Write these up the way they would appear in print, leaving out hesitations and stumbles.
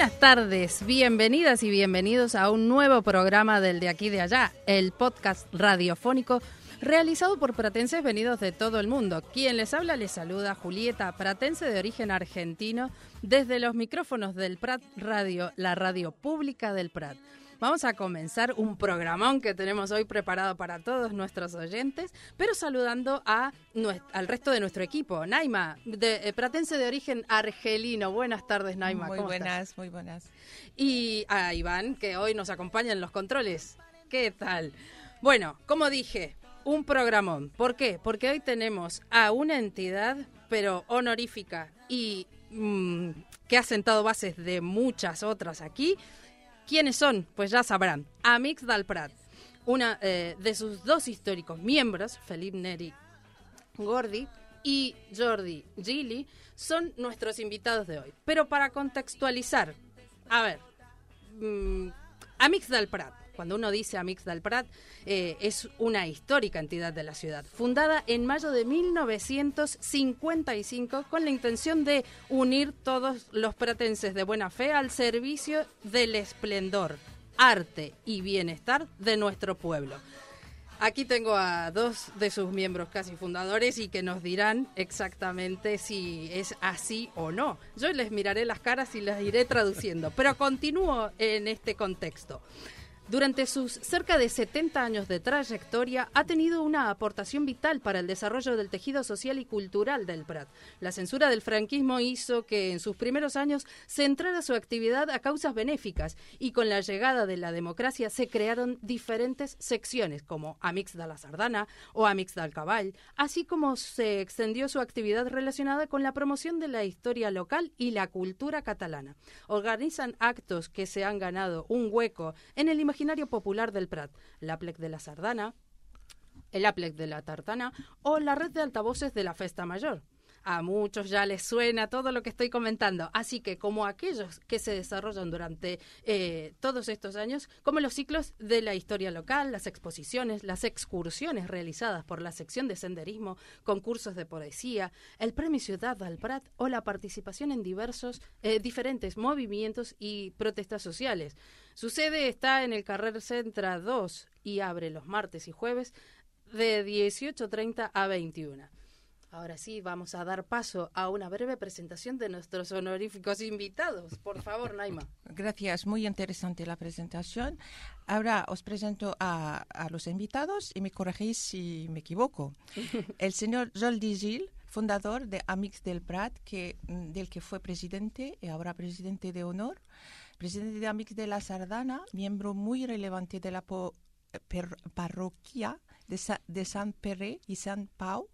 Buenas tardes, bienvenidas y bienvenidos a un nuevo programa del De Aquí de Allá, el podcast radiofónico realizado por pratenses venidos de todo el mundo. Quien les habla les saluda Julieta, pratense de origen argentino, desde los micrófonos del Prat Radio, la radio pública del Prat. Vamos a comenzar un programón que tenemos hoy preparado para todos nuestros oyentes, pero saludando al resto de nuestro equipo. Naima, pratense de origen argelino. Buenas tardes, Naima. Muy buenas, muy buenas. Y a Iván, que hoy nos acompaña en los controles. ¿Qué tal? Bueno, como dije, un programón. ¿Por qué? Porque hoy tenemos a una entidad, pero honorífica y que ha sentado bases de muchas otras aquí. ¿Quiénes son? Pues ya sabrán. Amics del Prat. Una de sus dos históricos miembros, Felip Neri Gordi y Jordi Gili, son nuestros invitados de hoy. Pero para contextualizar, a ver, Amics del Prat. Cuando uno dice Amics del Prat, es una histórica entidad de la ciudad, fundada en mayo de 1955 con la intención de unir todos los pratenses de buena fe al servicio del esplendor, arte y bienestar de nuestro pueblo. Aquí tengo a dos de sus miembros casi fundadores y que nos dirán exactamente si es así o no. Yo les miraré las caras y las iré traduciendo, pero continúo en este contexto. Durante sus cerca de 70 años de trayectoria, ha tenido una aportación vital para el desarrollo del tejido social y cultural del Prat. La censura del franquismo hizo que en sus primeros años centrara su actividad a causas benéficas y con la llegada de la democracia se crearon diferentes secciones como Amics de la Sardana o Amics del Cavall, así como se extendió su actividad relacionada con la promoción de la historia local y la cultura catalana. Organizan actos que se han ganado un hueco en el imaginario popular del Prat, l'Aplec de la Sardana, el Aplec de la Tartana o la red de altavoces de la Festa Mayor. A muchos ya les suena todo lo que estoy comentando, así que como aquellos que se desarrollan durante todos estos años, como los ciclos de la historia local, las exposiciones, las excursiones realizadas por la sección de senderismo, concursos de poesía, el Premio Ciudad del Prat o la participación en diferentes movimientos y protestas sociales. Su sede está en el Carrer Centre 2 y abre los martes y jueves de 18:30 a 21. Ahora sí, vamos a dar paso a una breve presentación de nuestros honoríficos invitados. Por favor, Naima. Gracias, muy interesante la presentación. Ahora os presento a los invitados y me corregís si me equivoco. El señor Jordi Gili, fundador de Amics del Prat, del que fue presidente y ahora presidente de honor. Presidente de Amics de la Sardana, miembro muy relevante de la parroquia de Sant Pere y Sant Pau,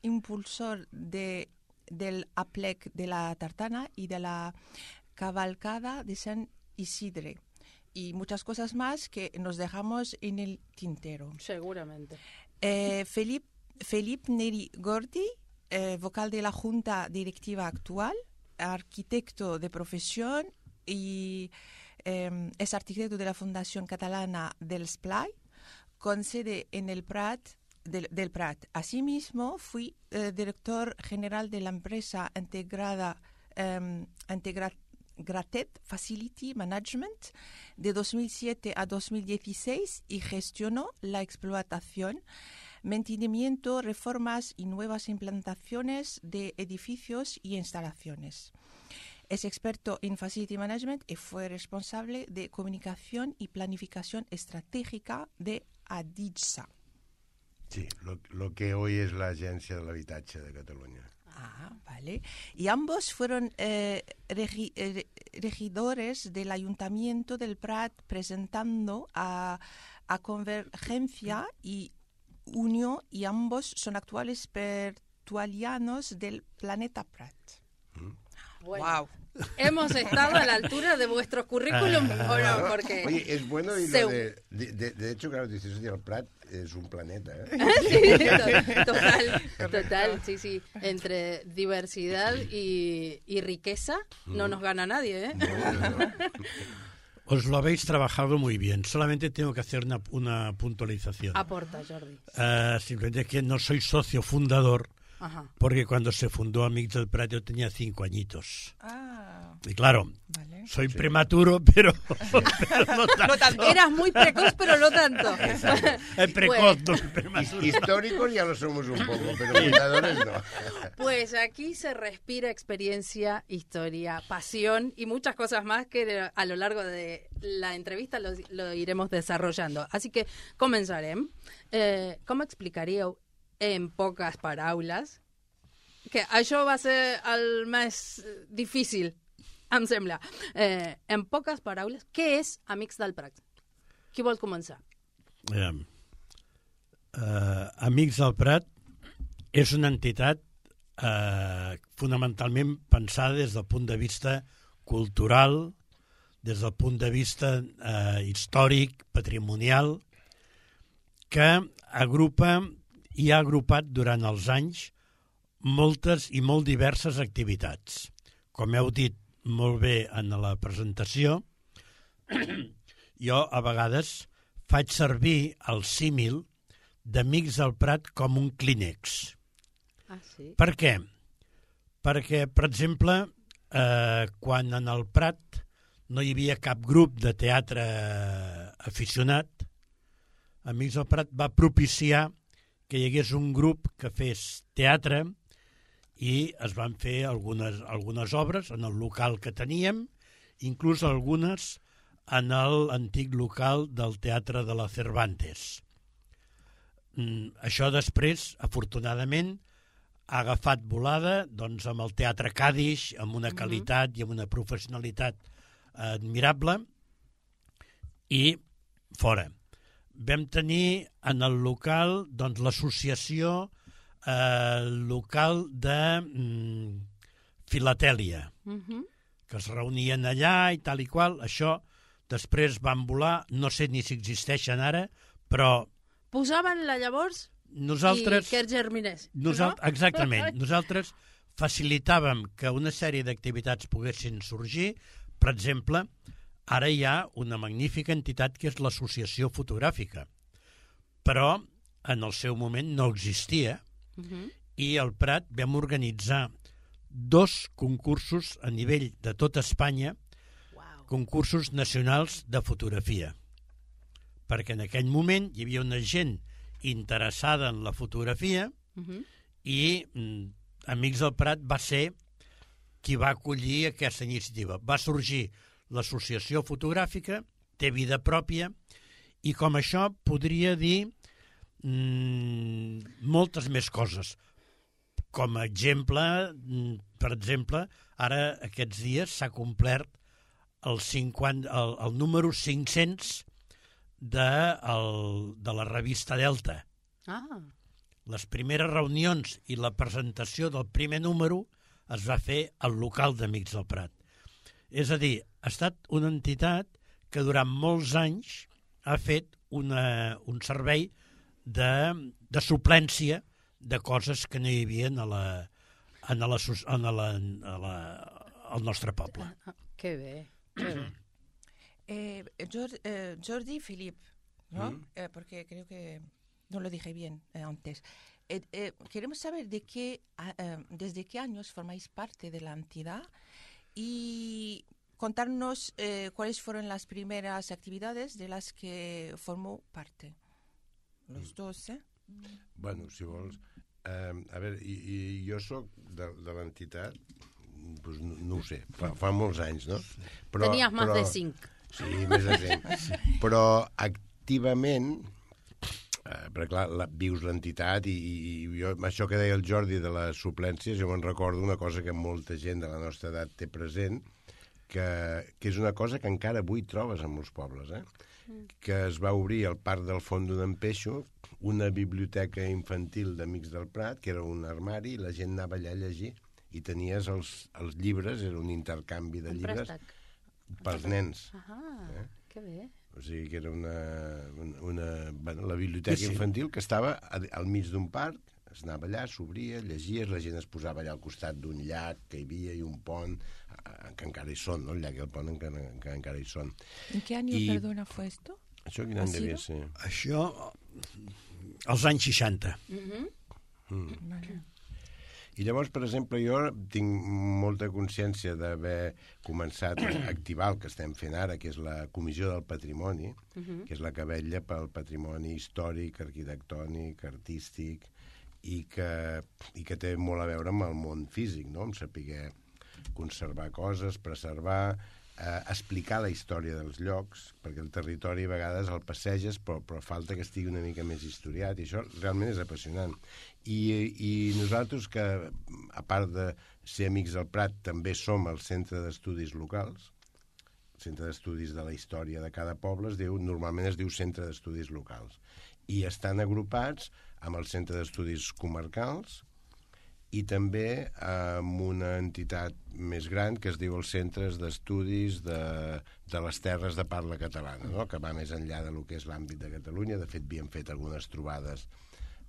impulsor del Aplec de la Tartana y de la cabalgada de Sant Isidre y muchas cosas más que nos dejamos en el tintero. Seguramente. Felip Neri Gordi, vocal de la Junta Directiva actual, arquitecto de profesión y es arquitecto de la Fundación Catalana del Esplai, con sede en el Prat, del Prat. Asimismo, fui director general de la empresa Integrated Facility Management de 2007 a 2016 y gestionó la explotación, mantenimiento, reformas y nuevas implantaciones de edificios y instalaciones. Es experto en Facility Management y fue responsable de comunicación y planificación estratégica de ADIGSA. Sí, lo que hoy es la Agencia del Habitatge de Cataluña. Ah, vale. Y ambos fueron regidores del Ayuntamiento del Prat, presentando a Convergencia y Unión, y ambos son actuales tertulianos del Planeta Prat. Bueno, ¡Wow! ¿Hemos estado a la altura de vuestros currículum o no? Porque Oye, es bueno y lo de hecho, claro, dices, el Prat es un planeta, ¿eh? Sí, total, sí. Entre diversidad y riqueza no nos gana nadie, ¿eh? No. Os lo habéis trabajado muy bien. Solamente tengo que hacer una puntualización. Aporta, Jordi. Simplemente que no soy socio fundador, Ajá. porque cuando se fundó Amics del Prat yo tenía 5 añitos. Ah. Y claro, Vale. soy prematuro, pero no tanto. Eras muy precoz, pero no tanto. Precoz, no prematuro. Históricos ya lo somos un poco, pero cuidadores no. Pues aquí se respira experiencia, historia, pasión y muchas cosas más que a lo largo de la entrevista lo iremos desarrollando. Así que comenzarem. Com explicaríeu en poques paraules, que això va ser el més difícil, em sembla. En poques paraules, què és Amics del Prat? Qui vol començar? Amics del Prat és una entitat fonamentalment pensada des del punt de vista cultural, des del punt de vista històric, patrimonial, que agrupa i ha agrupat durant els anys moltes i molt diverses activitats. Com heu dit molt bé en la presentació, jo a vegades faig servir el símil d'Amics del Prat com un clínex. Ah, sí? Per què? Perquè, per exemple, quan en el Prat no hi havia cap grup de teatre aficionat, Amics del Prat va propiciar que hi hagués un grup que fes teatre i es van fer algunes obres en el local que teníem, inclús algunes en l'antic local del Teatre de la Cervantes. Això després, afortunadament, ha agafat volada doncs, amb el Teatre Cadix, amb una qualitat i amb una professionalitat admirable, i fora. Vam tenir en el local doncs, l'associació local de filatèlia, que es reunien allà i tal i qual. Això després van volar, no sé ni si existeixen ara, però... Posaven-la llavors nosaltres, i que germinés. Exactament. Nosaltres facilitàvem que una sèrie d'activitats poguessin sorgir. Per exemple, ara hi ha una magnífica entitat que és l'Associació Fotogràfica, però en el seu moment no existia, i al Prat vam organitzar 2 concursos a nivell de tota Espanya, concursos nacionals de fotografia, perquè en aquell moment hi havia una gent interessada en la fotografia i Amics del Prat va ser qui va acollir aquesta iniciativa. Va sorgir l'Associació Fotogràfica, té vida pròpia, i com això podria dir moltes més coses. Com a exemple, per exemple, ara aquests dies s'ha complert el número 500 de la revista Delta. Les primeres reunions i la presentació del primer número es va fer al local d'Amics del Prat. És a dir, ha estat una entitat que durant molts anys ha fet un servei de suplència de coses que no hi havia al nostre poble. Que bé, que bé. Jordi Philippe, ¿no? Porque creo que no lo dije bien antes. Queremos saber desde qué años formáis parte de la entidad y contarnos cuáles fueron las primeras actividades de las que formó parte. Los dos, ¿eh? Bueno, si vols... a veure, jo soc de l'entitat, doncs no ho sé, fa molts anys, no? Tenies més de 5. Sí, més de 5. Però activament, perquè clar, vius l'entitat i jo, això que deia el Jordi de les suplències, jo me'n recordo una cosa que molta gent de la nostra edat té present, que és una cosa que encara avui trobes en molts pobles, que es va obrir al Parc del Font d'en Peixo una biblioteca infantil d'Amics del Prat, que era un armari, i la gent anava allà a llegir, i tenies els llibres, era un intercanvi de llibres pels nens. Que bé. O sigui que era la biblioteca infantil que estava al mig d'un parc, es anava allà, s'obria, llegies, la gent es posava allà al costat d'un llac que hi havia i un pont, que encara hi són, no? El llac i el pont que encara hi són. ¿En qué año, perdona, fue esto? Això quin any devia ser? Això, als anys 60. Vale. I llavors, per exemple, jo tinc molta consciència d'haver començat a activar el que estem fent ara, que és la Comissió del Patrimoni, que és la que vetlla pel patrimoni històric, arquitectònic, artístic, i que té molt a veure amb el món físic, no? Amb saber conservar coses, preservar, explicar la història dels llocs, perquè el territori a vegades el passeges, però falta que estigui una mica més historiat, i això realment és apassionant. I nosaltres, que a part de ser Amics del Prat, també som el centre d'estudis locals, el centre d'estudis de la història de cada poble, normalment es diu centre d'estudis locals, i estan agrupats amb el centre d'estudis comarcals, i també amb una entitat més gran que es diu els Centres d'Estudis de les Terres de Parla Catalana, no? Que va més enllà de lo que és l'àmbit de Catalunya. De fet, havíem fet algunes trobades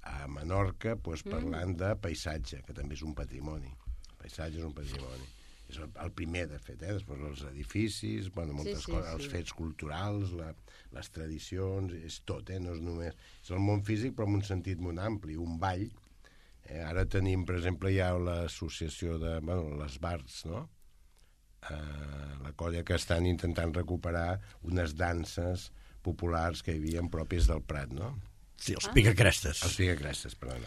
a Menorca parlant de paisatge, que també és un patrimoni. El paisatge és un patrimoni. És el primer, de fet, després els edificis, moltes coses, els fets culturals, les tradicions, és tot, no és només... És el món físic, però en un sentit molt ampli, un ball. Ara tenim, per exemple, ja l'associació de les Barts, no? La colla que estan intentant recuperar unes danses populars que hi havia pròpies del Prat, no? Sí, els picacrestes. Els picacrestes, perdona.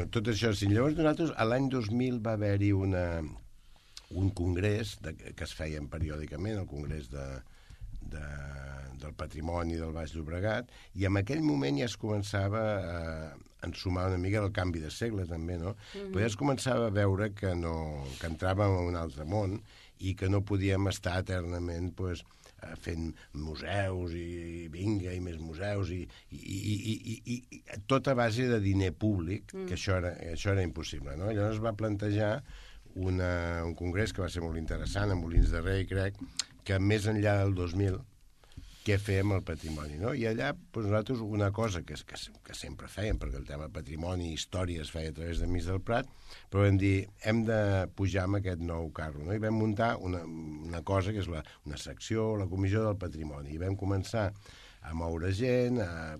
Tot això, sí. Llavors, nosaltres, l'any 2000 va haver-hi un congrés que es feia periòdicament, el congrés del patrimoni del Baix Llobregat, i en aquell moment ja es començava a ensumar una mica del canvi de segle, també, no? Però ja es començava a veure que entràvem en un altre món i que no podíem estar eternament fent museus i vinga, i més museus, i tot a base de diner públic, que això era impossible, no? Llavors es va plantejar un congrés que va ser molt interessant, a Molins de Rei, crec, que més enllà del 2000, què fem al patrimoni, no? I allà, nosaltres, una cosa que sempre fèiem, perquè el tema patrimoni i història es feia a través d'Amics del Prat, però vam dir, hem de pujar amb aquest nou carro, no? I vam muntar una cosa que és una secció, la Comissió del Patrimoni, i vam començar a moure gent, a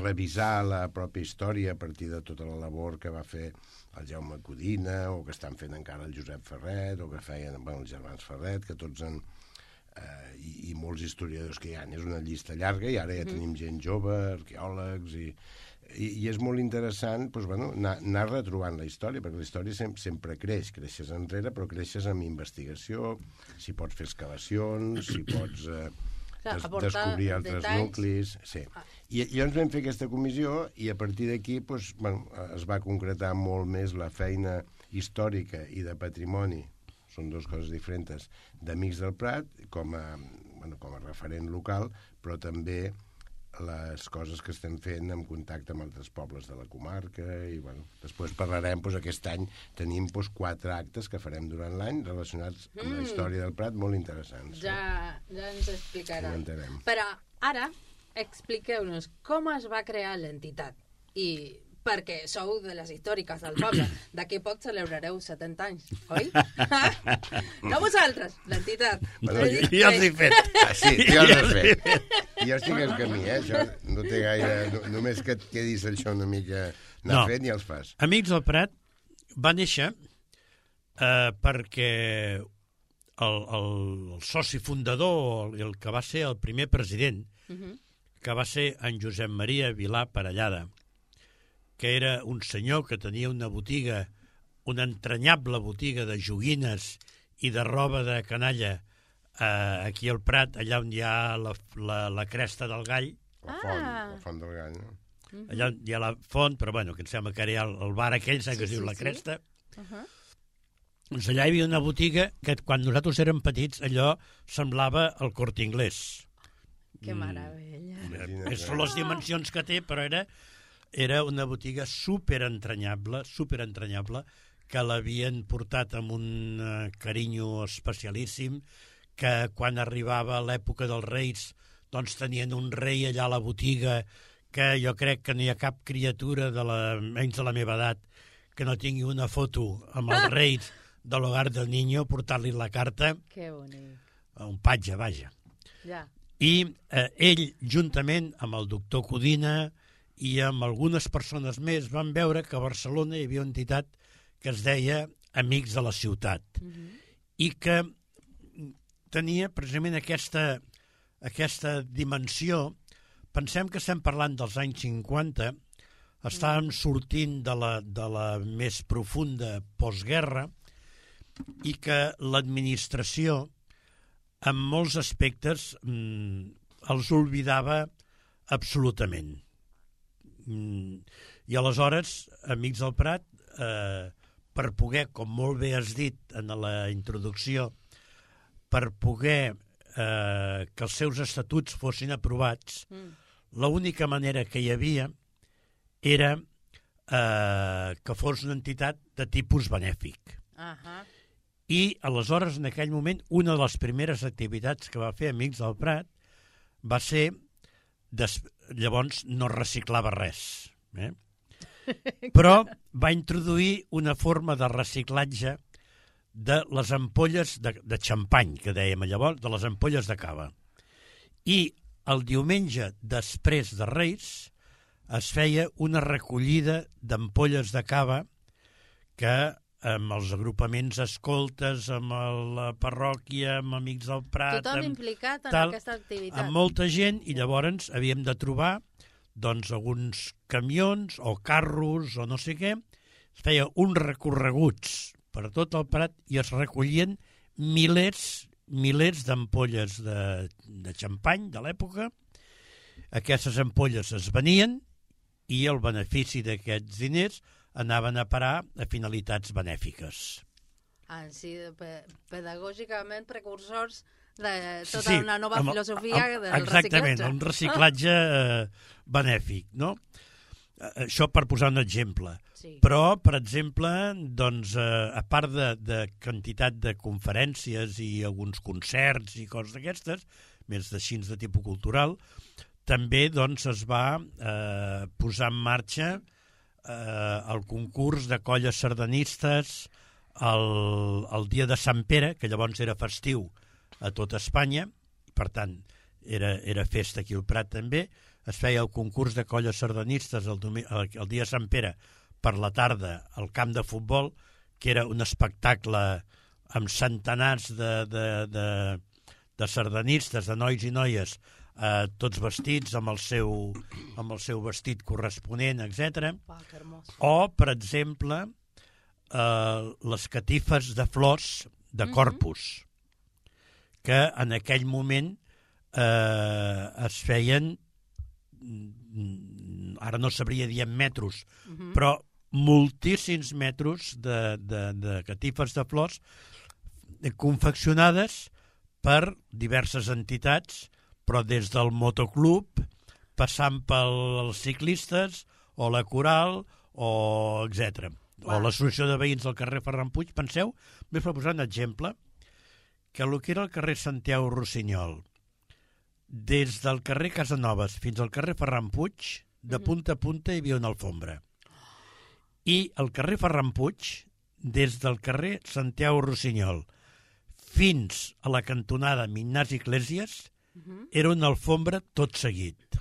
revisar la pròpia història a partir de tota la labor que va fer el Jaume Codina, o que estan fent encara el Josep Ferret, o que feien els germans Ferret, que tots i molts historiadors que hi ha. És una llista llarga, i ara ja tenim gent jove, arqueòlegs, i és molt interessant anar retrobant la història, perquè la història sempre creixes enrere, però creixes amb investigació, si pots fer excavacions, si pots descobrir altres nuclis. Sí. I llavors vam fer aquesta comissió, i a partir d'aquí es va concretar molt més la feina històrica i de patrimoni, són dues coses diferents, d'Amics del Prat, com a referent local, però també les coses que estem fent en contacte amb altres pobles de la comarca, i després parlarem, aquest any tenim 4 actes que farem durant l'any relacionats amb la història del Prat, molt interessants. Ja ens explicarà. Ho però ara expliqueu-nos com es va crear l'entitat, i perquè sou de les històriques del poble. D'aquí poc celebrareu 70 anys, oi? No vosaltres, l'entitat. Ja els he fet. Sí, ja els he fet. Jo estic al camí, això no té gaire... Només que et quedis això una mica anar fent i els fas. Amics del Prat va néixer perquè el soci fundador, el que va ser el primer president, que va ser en Josep Maria Vilà Parellada, que era un senyor que tenia una botiga, una entranyable botiga de joguines i de roba de canalla aquí al Prat, allà on hi ha la cresta del Gall. La font del Gall, no? Allà hi ha la font, però que em sembla que ara hi ha el bar aquell, que es diu la Cresta. Doncs allà hi havia una botiga que quan nosaltres érem petits allò semblava el Corte Inglés. Que meravella. Són les dimensions que té, però era una botiga superentranyable, que l'havien portat amb un carinyo especialíssim, que quan arribava l'època dels Reis, doncs tenien un rei allà a la botiga, que jo crec que no hi ha cap criatura, menys de la meva edat, que no tingui una foto amb els Reis de l'Hogar del Niño, portar-li la carta. Que bonic. Un patge, vaja. Ja. I ell, juntament amb el doctor Codina i amb algunes persones més vam veure que a Barcelona hi havia una entitat que es deia Amics de la Ciutat i que tenia precisament aquesta dimensió. Pensem que estem parlant dels anys 50, estàvem sortint de la més profunda postguerra i que l'administració en molts aspectes els oblidava absolutament. I aleshores, Amics del Prat, per poder, com molt bé has dit en la introducció, per poder que els seus estatuts fossin aprovats, l'única manera que hi havia era que fos una entitat de tipus benèfic. I aleshores, en aquell moment, una de les primeres activitats que va fer Amics del Prat va ser, llavors no reciclava res, però va introduir una forma de reciclatge de les ampolles de xampany, que dèiem llavors, de les ampolles de cava. I el diumenge després de Reis es feia una recollida d'ampolles de cava que amb els agrupaments escoltes, amb la parròquia, amb Amics del Prat... Tothom implicat en aquesta activitat. Amb molta gent, i llavors havíem de trobar doncs, alguns camions o carros o no sé què. Es feia uns recorreguts per tot el Prat i es recollien milers d'ampolles de xampany de l'època. Aquestes ampolles es venien i el benefici d'aquests diners anaven a parar a finalitats benèfiques. Sí, pedagògicament precursors de tota una nova filosofia del reciclatge. Exactament, un reciclatge benèfic, no? Això per posar un exemple. Sí. Però, per exemple, doncs, a part de quantitat de conferències i alguns concerts i coses d'aquestes, més d'així de tipus cultural, també doncs, es va posar en marxa el concurs de colles sardanistes el dia de Sant Pere, que llavors era festiu a tot Espanya, per tant, era festa aquí al Prat també. Es feia el concurs de colles sardanistes el dia de Sant Pere per la tarda al camp de futbol, que era un espectacle amb centenars de sardanistes, de nois i noies, tots vestits amb el seu vestit corresponent, etc. O, per exemple, les catifes de flors de Corpus, que en aquell moment es feien, ara no sabria dir en metros, però moltíssims metros de catifes de flors confeccionades per diverses entitats, però des del motoclub, passant pels ciclistes, o la coral, o etc. O l'associació de veïns del carrer Ferran Puig. Penseu, més per posar un exemple, que el que era el carrer Santiago Rossinyol, des del carrer Casanovas fins al carrer Ferran Puig, de punta a punta hi havia una alfombra. I el carrer Ferran Puig, des del carrer Santiago Rossinyol fins a la cantonada Ignasi Iglesias, era una alfombra tot seguit.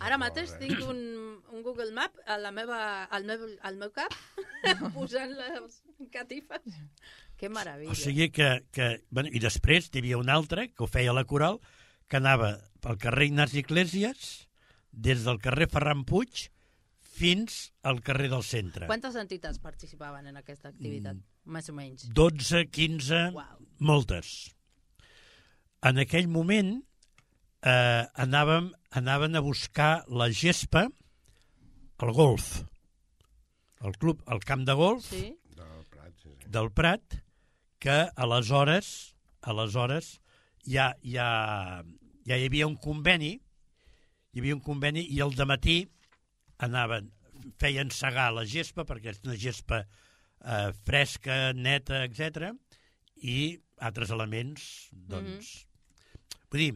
Ara mateix tinc un Google Map al meu cap posant les catifes. Que meravella. O sigui i després hi havia un altre que ho feia la coral, que anava pel carrer Ignasi Iglesias, des del carrer Ferran Puig fins al carrer del centre. Quantes entitats participaven en aquesta activitat, més o menys? 12, 15, moltes. En aquell moment anaven a buscar la gespa al golf, al camp de golf del Prat, que aleshores ja hi havia un conveni, i al dematí feien segar la gespa, perquè és una gespa fresca, neta, etc., i altres elements, doncs... Vull dir,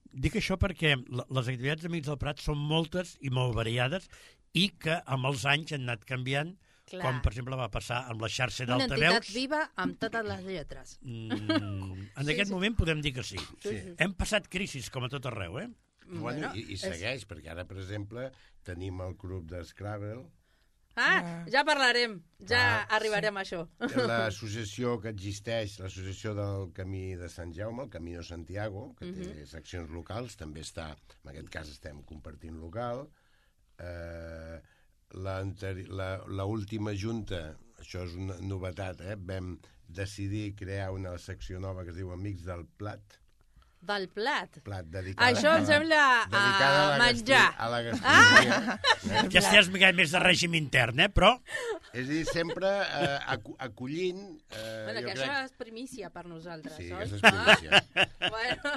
dic això perquè les activitats d'Amics del Prat són moltes i molt variades i que amb els anys han anat canviant, com per exemple va passar amb la xarxa d'altaveus. Una entitat viva amb totes les lletres. En aquest moment podem dir que sí. Hem passat crisis com a tot arreu, Bueno, i segueix, perquè ara, per exemple, tenim el club de Scrabble. Ja parlarem, ja arribarem a això. L'associació que existeix, l'associació del Camí de Sant Jaume, el Camino Santiago, que té seccions locals, també està, en aquest cas estem compartint local. L'última junta, això és una novetat, vam decidir crear una secció nova que es diu Amics del Plat. Del plat? Dedicada això em sembla a menjar. A la gastronomia. Aquesta ja és mica més de règim intern, però... És a dir, sempre acollint... Bueno, que això és primícia per nosaltres, sí, oi? Sí, és primícia. Bueno,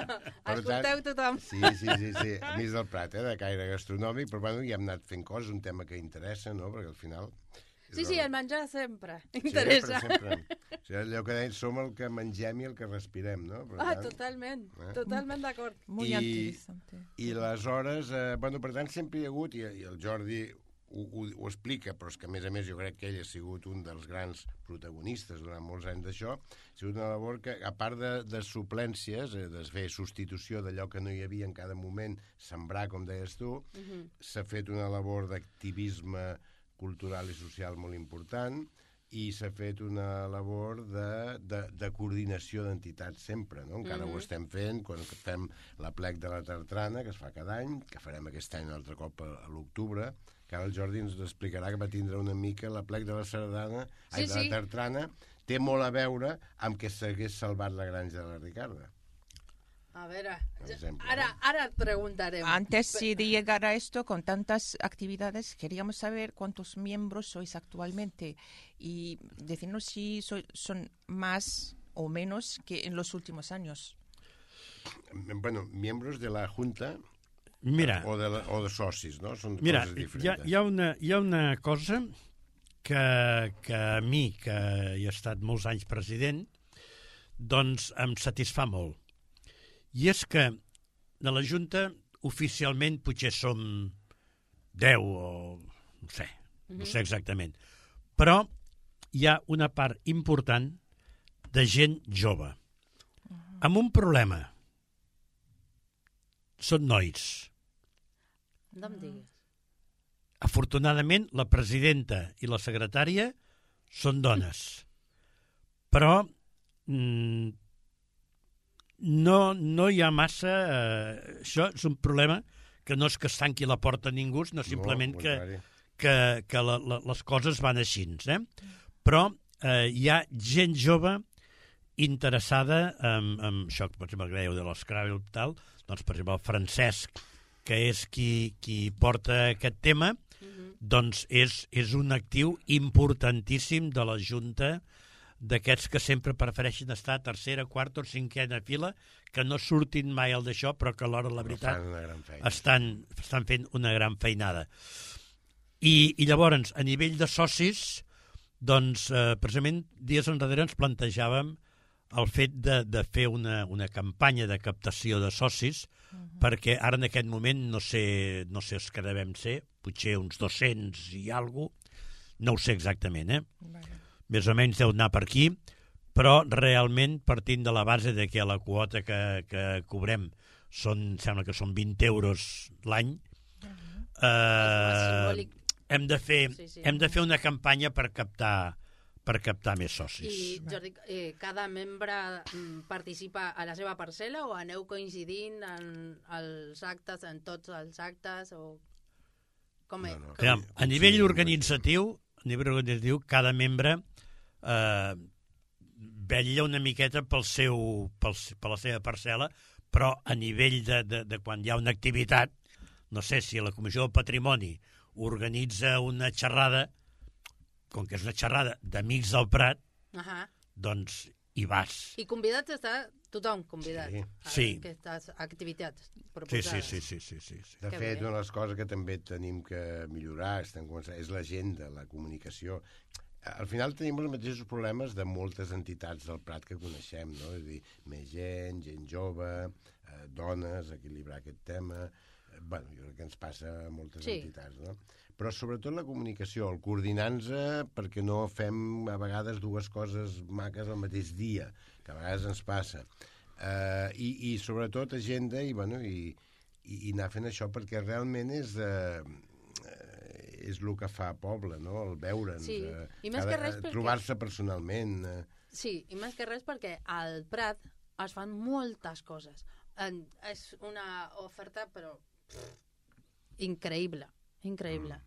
escolteu tothom. Sí. Amics del Plat, de caire gastronòmic, però bueno, ja hem anat fent coses, un tema que interessa, no?, perquè al final... Sí, el menjar sempre interessa. Sempre. O sigui, allò que deien, som el que mengem i el que respirem, no? Totalment d'acord. Molt interessant. I aleshores, per tant, sempre hi ha hagut, i el Jordi ho explica, però és que, a més jo crec que ell ha sigut un dels grans protagonistes durant molts anys d'això, ha sigut una labor que, a part de suplències, de fer substitució d'allò que no hi havia en cada moment, sembrar, com deies tu, s'ha fet una labor d'activisme cultural i social molt important, i s'ha fet una labor de coordinació d'entitats sempre, no? Encara ho estem fent quan fem l'Aplec de la Tartrana, que es fa cada any, que farem aquest any un altre cop a l'octubre, que ara el Jordi ens explicarà que va tindre una mica l'Aplec de la Sardana, de la Tartrana, té molt a veure amb que s'hagués salvat la granja de la Ricarda. A ver, ahora preguntaremos. Antes de llegar a esto, con tantas actividades, queríamos saber cuántos miembros sois actualmente y decirnos si son más o menos que en los últimos años. Bueno, miembros de la Junta. Mira, o de socis, no? Són coses diferents. Hi ha una cosa que a mi, que he estat molts anys president, doncs em satisfà molt. I és que de la Junta oficialment potser som 10 o no sé exactament. Però hi ha una part important de gent jove amb un problema. Són nois. No em diguis. Afortunadament, la presidenta i la secretària són dones. Però no hi ha massa... això és un problema que no és que es tanqui la porta a ningú, sinó simplement que les coses van així. Però hi ha gent jove interessada en això, per exemple, que dèieu de l'Scrabble i tal, doncs, per exemple, el Francesc, que és qui porta aquest tema, doncs és un actiu importantíssim de la Junta, d'aquests que sempre prefereixen estar a tercera, quarta o cinquena fila, que no surtin mai al d'això, però que alhora, la veritat, estan fent una gran feinada. I llavors, a nivell de socis, doncs, precisament, dies enrere ens plantejàvem el fet de fer una campanya de captació de socis, perquè ara en aquest moment no sé els que devem ser, potser uns 200 i alguna cosa, no ho sé exactament, més o menys deu anar per aquí, però realment partint de la base de que la quota que cobrem sembla que són 20 euros l'any, hem de fer una campanya per captar més socis. I, Jordi, cada membre participa a la seva parcel·la o aneu coincidint en els actes, en tots els actes? O... Com és? A nivell organitzatiu, cada membre vetlla una miqueta per la seva parcel·la, però a nivell de quan hi ha una activitat, no sé si la Comissió del Patrimoni organitza una xerrada, com que és una xerrada d'Amics del Prat, doncs hi vas. I convidats està tothom convidat a aquestes activitats proposades. Sí. De fet, una de les coses que també tenim que millorar és l'agenda, la comunicació. Al final tenim els mateixos problemes de moltes entitats del Prat que coneixem, no? És a dir, més gent jove, dones, equilibrar aquest tema... Bueno, jo crec que ens passa a moltes entitats, no? Però sobretot la comunicació, el coordinar-nos perquè no fem a vegades dues coses maques al mateix dia, que a vegades ens passa. I sobretot agenda i i anar fent això, perquè realment és el que fa poble, no? El veure'ns, Sí, i més que res trobar-se personalment. Sí, i més que res perquè al Prat es fan moltes coses. És una oferta, però increïble, increïble.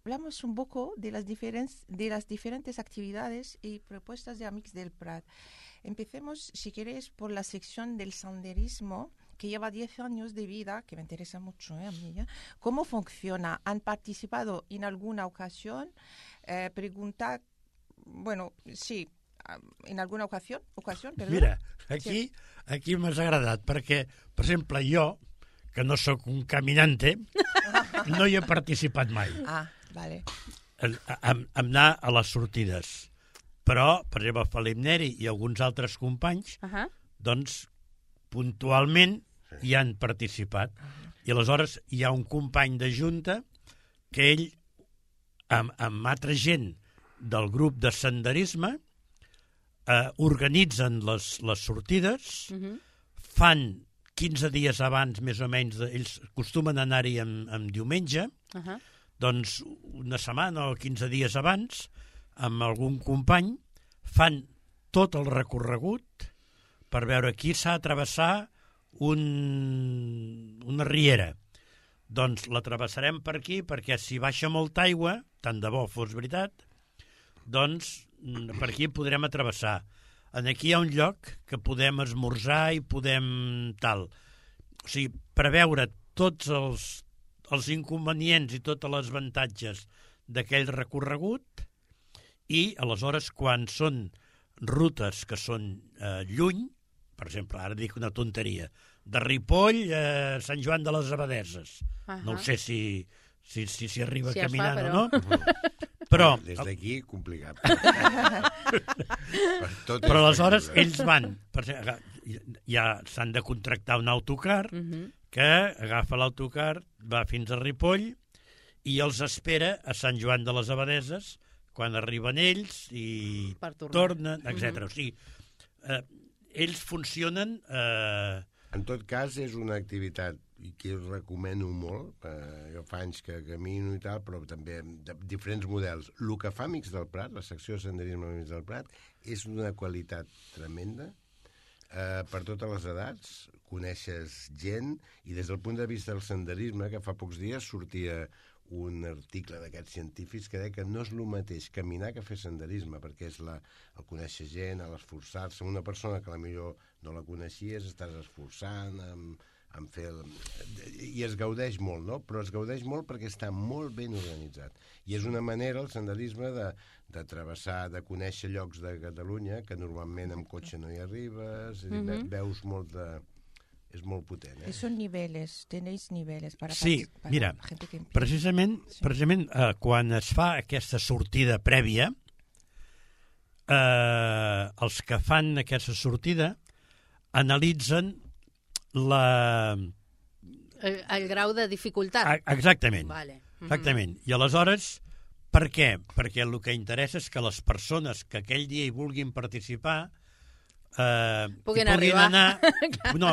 Hablamos un poco de las diferentes actividades y propuestas de Amics del Prat. Empecemos, si queréis, por la sección del senderismo, que lleva 10 años de vida, que me interesa mucho a mí. ¿Cómo funciona? ¿Han participado en alguna ocasión? Pregunta, bueno, sí, en alguna ocasión, perdón. Mira, aquí m'has agradat, perquè, per exemple, jo, que no sóc un caminante, no hi he participat mai. Ah, vale. Anar a les sortides. Però, per exemple, Felip Neri i alguns altres companys, doncs, puntualment hi han participat. I aleshores hi ha un company de junta que ell, amb altra gent del grup de senderisme, organitzen les sortides, fan 15 dies abans, més o menys, ells acostumen a anar-hi en diumenge, doncs una setmana o 15 dies abans, amb algun company, fan tot el recorregut per veure qui s'ha de travessar una riera. Doncs la travessarem per aquí, perquè si baixa molta aigua, tant de bo fos veritat, doncs per aquí podrem travessar. Aquí hi ha un lloc que podem esmorzar i podem tal. O sigui, preveure tots els inconvenients i tots els avantatges d'aquell recorregut i, aleshores, quan són rutes que són lluny, per exemple, ara dic una tonteria, de Ripoll a Sant Joan de les Abadeses. No ho sé si arriba caminant o no. Però des d'aquí, complicat. Però aleshores ells van, ja s'han de contractar un autocar que agafa l'autocar, va fins a Ripoll i els espera a Sant Joan de les Abadeses quan arriben ells i tornen, etc. O sigui, ells funcionen... En tot cas, és una activitat que us recomano molt. Jo fa anys que camino i tal, però també de diferents models. El que fa Amics del Prat, la secció de senderisme Amics del Prat, és una qualitat tremenda per totes les edats. Coneixes gent i des del punt de vista del senderisme, que fa pocs dies sortia un article d'aquests científics que deia que no és el mateix caminar que fer senderisme, perquè és el conèixer gent, l'esforçar-se. Una persona que potser no la coneixies, estàs esforçant en fer... I es gaudeix molt, no? Però es gaudeix molt perquè està molt ben organitzat. I és una manera, el senderisme, de travessar, de conèixer llocs de Catalunya que normalment amb cotxe no hi arribes, veus molt de... És molt potent, eh? Son niveles, tenéis niveles para sí, mira, precisament quan es fa aquesta sortida prèvia, els que fan aquesta sortida analitzen el grau de dificultat. Exactament. Vale. Exactament. I aleshores, per què? Perquè el que interessa és que les persones que aquell dia hi vulguin participar puguin arribar.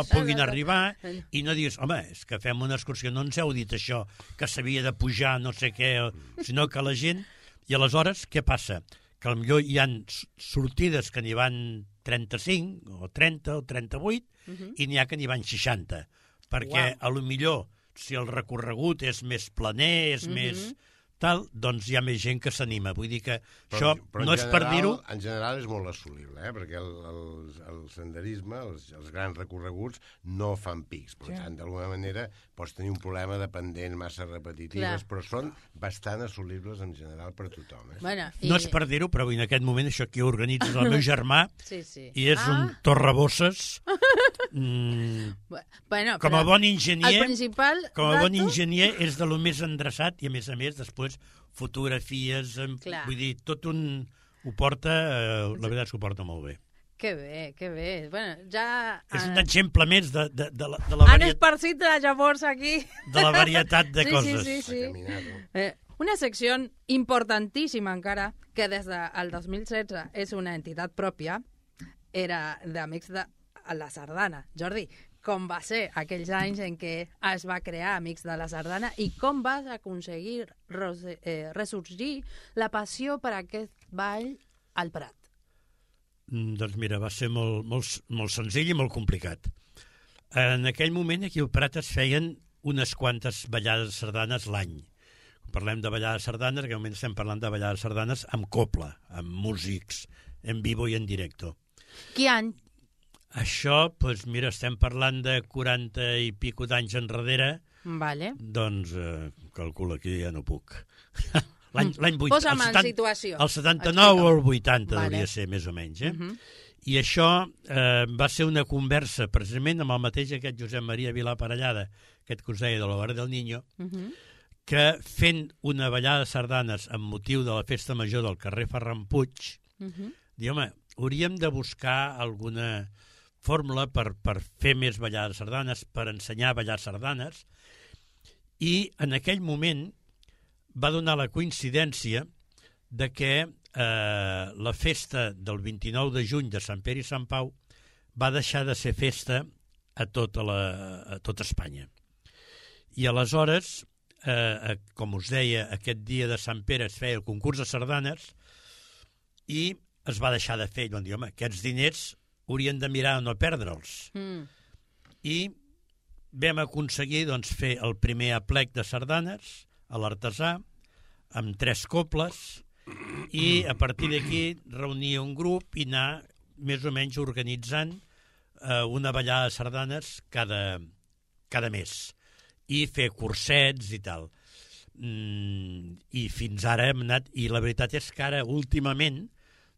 Puguin arribar i no diguis, home, és que fem una excursió, no ens heu dit això, que s'havia de pujar no sé què, sinó que la gent... I aleshores, què passa? Que potser hi ha sortides que n'hi van 35 o 30 o 38 i n'hi ha que n'hi van 60, perquè a lo millor si el recorregut és més planer, és més... tal, doncs hi ha més gent que s'anima. Vull dir que això no és per dir-ho... En general és molt assolible, perquè el senderisme, els grans recorreguts, no fan pics. Per tant, d'alguna manera, pots tenir un problema de pendents massa repetitives, però són bastant assolibles en general per tothom. Bueno, no és per dir-ho, però en aquest moment això aquí ho organitza el meu germà i és un torrebosses com a bon enginyer és de lo més endreçat i a més després fotografies, vull dir, tot un... ho porta, la veritat és que ho porta molt bé. Que bé, que bé. Bueno, ja... És un exemple més de la han esparcit llavors aquí. De la varietat de coses. Sí. Una secció importantíssima encara, que des del 2016 és una entitat pròpia, era d'Amics de la Sardana. Jordi, com va ser aquells anys en què es va crear Amics de la Sardana i com vas aconseguir ressorgir la passió per aquest ball al Prat. Doncs mira, va ser molt senzill i molt complicat. En aquell moment aquí al Prat es feien unes quantes ballades de sardanes l'any. Quan parlem de ballades de sardanes, en aquell moment estem parlant de ballades de sardanes amb copla, amb músics, en vivo i en directo. Quin any? Això, doncs mira, estem parlant de 40 i pico d'anys enrere, Vale. doncs calcula que ja no puc. L'any 80, Posa'm en situació. El 79 o el 80 Vale. hauria de ser, més o menys. I això va ser una conversa precisament amb el mateix aquest Josep Maria Vilà Parellada, aquest que us deia de l'Hogar del Niño, que fent una ballada de sardanes amb motiu de la festa major del carrer Ferran Puig, diu, home, hauríem de buscar alguna fórmula per fer més ballades de sardanes, per ensenyar a ballar sardanes, i en aquell moment va donar la coincidència de que la festa del 29 de juny de Sant Pere i Sant Pau va deixar de ser festa a tota Espanya. I aleshores, com us deia, aquest dia de Sant Pere es feia el concurs de sardanes i es va deixar de fer. I van dir, home, aquests diners haurien de mirar a no perdre'ls. I vam aconseguir doncs, fer el primer aplec de sardanes a l'Artesà, amb 3 coples, i a partir d'aquí reunir un grup i anar més o menys organitzant una ballada de sardanes cada mes, i fer cursets i tal. I fins ara hem anat, i la veritat és que ara últimament,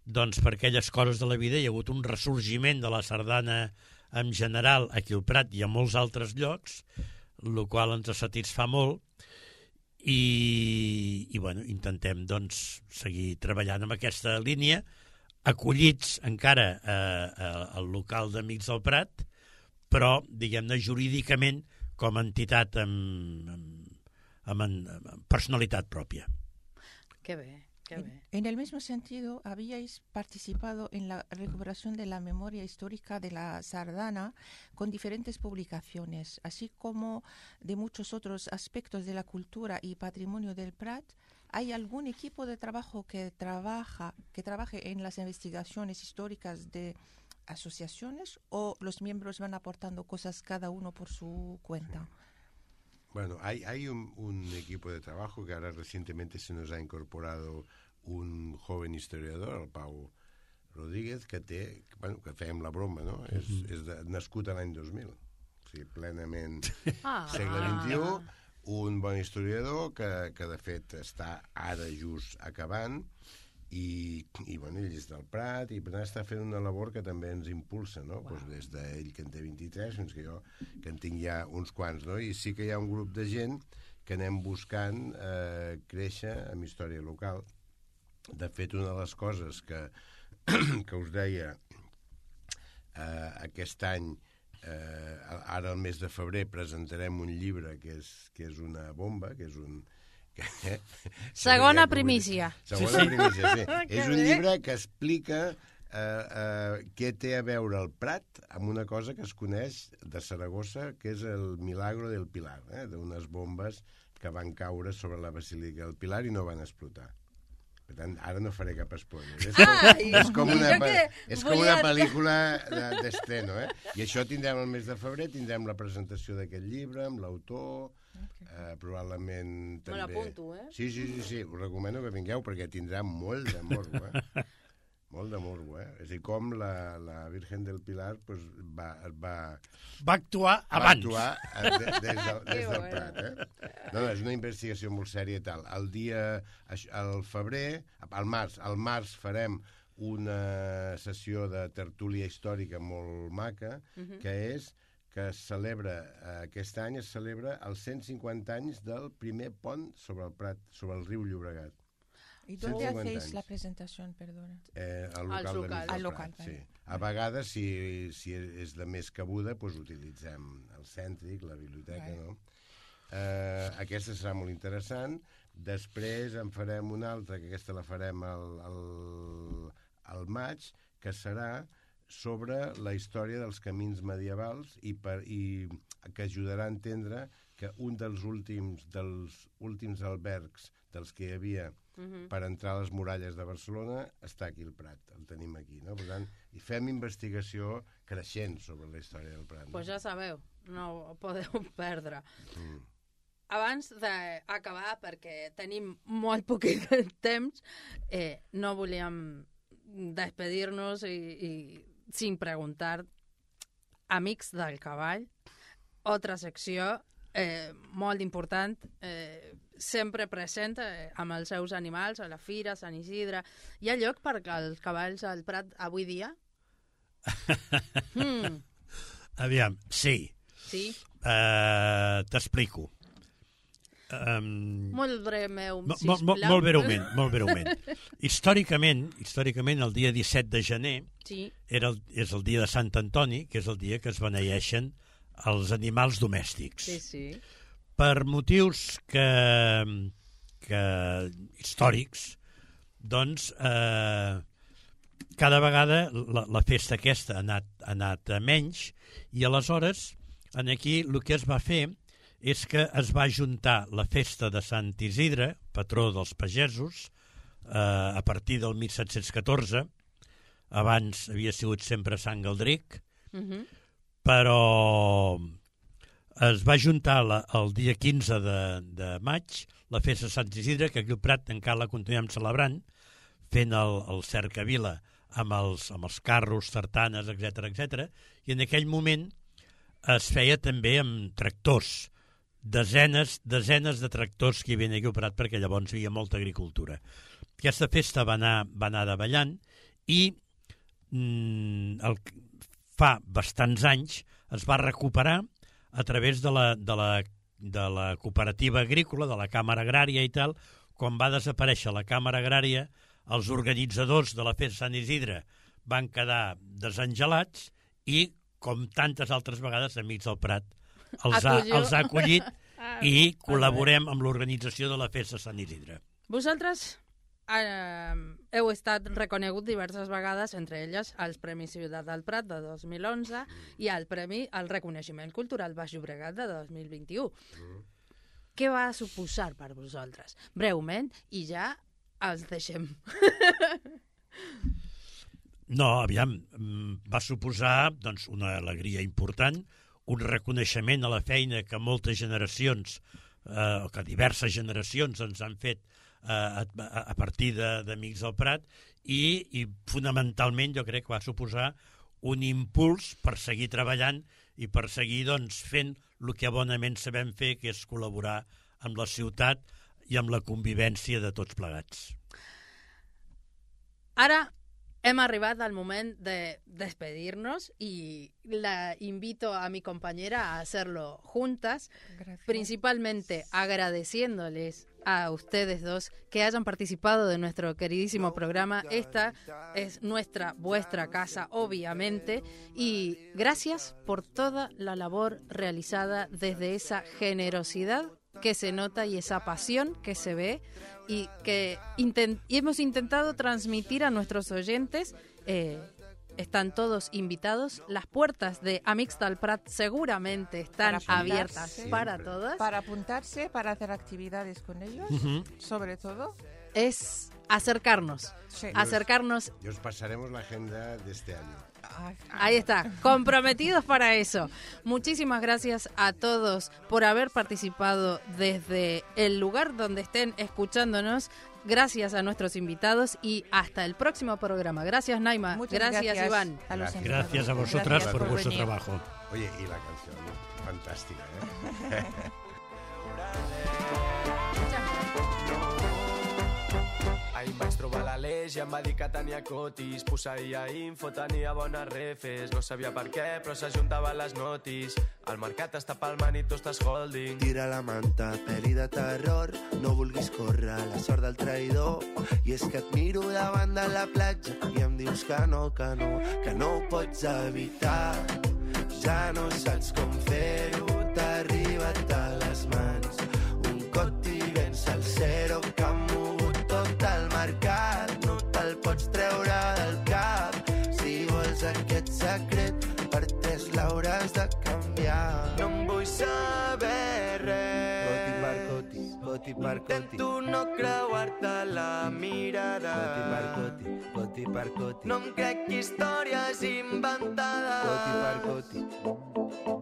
doncs per aquelles coses de la vida hi ha hagut un ressorgiment de la sardana en general aquí al Prat i a molts altres llocs, el qual ens satisfà molt, i bueno, intentem doncs seguir treballant amb aquesta línia, acollits encara al local d'Amics del Prat, però, diguem-ne, jurídicament com a entitat amb personalitat pròpia. Que bé. En el mismo sentido, habíais participado en la recuperación de la memoria histórica de la sardana con diferentes publicaciones, así como de muchos otros aspectos de la cultura y patrimonio del Prat. ¿Hay algún equipo de trabajo que trabaje en las investigaciones históricas de asociaciones, o los miembros van aportando cosas cada uno por su cuenta? Bueno, hay un equipo de trabajo que ahora recientemente se nos ha incorporado un joven historiador, el Pau Rodríguez, que fèiem la broma, no? És nascut a l'any 2000, o sigui, plenament segle XXI, un bon historiador que de fet està ara just acabant, i bueno, ell és del Prat, i per tant està fent una labor que també ens impulsa, no? Pues des d'ell, que en té 23, fins que jo, que en tinc ja uns quants, no? I sí que hi ha un grup de gent que anem buscant créixer amb història local. De fet, una de les coses que us deia, aquest any, ara al mes de febrer, presentarem un llibre que és una bomba, que és un... Segona primícia. Segona primícia, sí. És un llibre que explica què té a veure el Prat amb una cosa que es coneix de Saragossa, que és el Milagro del Pilar, d'unes bombes que van caure sobre la Basílica del Pilar i no van explotar. Per tant, ara no faré cap spoiler. És com una pel·lícula d'estreno, I això tindrem el mes de febrer, tindrem la presentació d'aquest llibre amb l'autor, probablement també... Me l'apunto, Sí, us recomano que vingueu perquè tindrà molt de morbo, Molt de morbo, És a dir, com la Virgen del Pilar va actuar abans. Va actuar des del Prat, No, és una investigació molt sèria i tal. Al febrer, al març farem una sessió de tertúlia històrica molt maca, que aquest any es celebra els 150 anys del primer pont sobre el Prat, sobre el riu Llobregat. ¿Y dónde hacéis la presentación, perdona? Al local. Sí. A vegades, si és de més cabuda, doncs utilitzem el cèntric, la biblioteca, no? Aquesta serà molt interessant. Després en farem una altra, que aquesta la farem al maig, que serà sobre la història dels camins medievals i que ajudarà a entendre que un dels últims albergs dels que hi havia per entrar a les muralles de Barcelona està aquí al Prat, el tenim aquí, no? Per tant, i fem investigació creixent sobre la història del Prat. Pues ja sabeu, no ho podeu perdre. Abans d'acabar, perquè tenim molt poquet temps, no volíem despedir-nos i sin preguntar, amics del cavall, altra secció molt important, sempre present amb els seus animals, a la Fira, Sant Isidre. Hi ha lloc per als cavalls al Prat avui dia? Aviam, sí. Sí? T'explico. Molt breu, sisplau. Molt breument. Històricament, el dia 17 de gener sí. És el dia de Sant Antoni, que és el dia que es beneeixen els animals domèstics. Sí, sí. Per motius que històrics, doncs, cada vegada la festa aquesta ha anat a menys, i aleshores aquí el que es va fer és que es va juntar la festa de Sant Isidre, patró dels pagesos, a partir del 1714. Abans havia sigut sempre Sant Galdric, però es va juntar el dia 15 de maig la festa de Sant Isidre, que aquí al Prat encara la continuem celebrant, fent el cercavila amb els carros, tartanes, etc. I en aquell moment es feia també amb tractors, desenes de tractors que hi havia aquí al Prat, perquè llavors hi havia molta agricultura. Aquesta festa va anar davallant i fa bastants anys es va recuperar a través de la cooperativa agrícola, de la Càmera Agrària i tal. Quan va desaparèixer la Càmera Agrària, els organitzadors de la festa Sant Isidre van quedar desengelats i, com tantes altres vegades, Amics del Prat els ha acollit i col·laborem amb l'organització de la festa Sant Isidre. Vosaltres heu estat reconegut diverses vegades, entre elles els Premis Ciutat del Prat de 2011 i el Premi al Reconeixement Cultural Baix Llobregat de 2021. Què va suposar per vosaltres? Breument, i ja els deixem. No, aviam, va suposar doncs, una alegria important, un reconeixement a la feina que moltes generacions, que diverses generacions ens han fet a partir d'Amics del Prat i fonamentalment jo crec que va suposar un impuls per seguir treballant i per seguir doncs, fent el que bonament sabem fer, que és col·laborar amb la ciutat i amb la convivència de tots plegats. Ara hem arribat al moment de despedirnos y la invito a mi compañera a hacerlo juntas. Gracias. Principalmente agradeciéndoles a ustedes dos que hayan participado de nuestro queridísimo programa. Esta es vuestra casa, obviamente, y gracias por toda la labor realizada desde esa generosidad que se nota y esa pasión que se ve y que hemos intentado transmitir a nuestros oyentes. Están todos invitados. Las puertas de Amics del Prat seguramente están abiertas para todos. Para apuntarse, para hacer actividades con ellos, sobre todo. Es acercarnos. Sí. Acercarnos. Y os pasaremos la agenda de este año. Ahí está, comprometidos para eso. Muchísimas gracias a todos por haber participado desde el lugar donde estén escuchándonos. Gracias a nuestros invitados y hasta el próximo programa. Gracias, Naima. Gracias, Iván. Gracias a vosotras por vuestro trabajo. Oye, y la canción, fantástica, ¿eh? Ahir vaig trobar l'Aleix i em va dir que tenia cotis. Posseïa info, tenia bones refes. No sabia per què, però s'ajuntaven les notis. El mercat està palmant i tu estàs holding. Tira la manta, pel·li de terror. No vulguis córrer la sort del traïdor. I és que et miro davant de la platja i em dius que no ho pots evitar. Ja no saps com fer-ho, t'ha arribat a les mans. Un cot i vens al zero que ha mogut tot el mercat. No te'l pots treure del cap. Si vols aquest canviar. No em vull saber res. Coti per coti, coti per coti. Intento no creuar-te la mirada. Coti per coti, coti per coti. No em crec històries inventades. Coti per coti.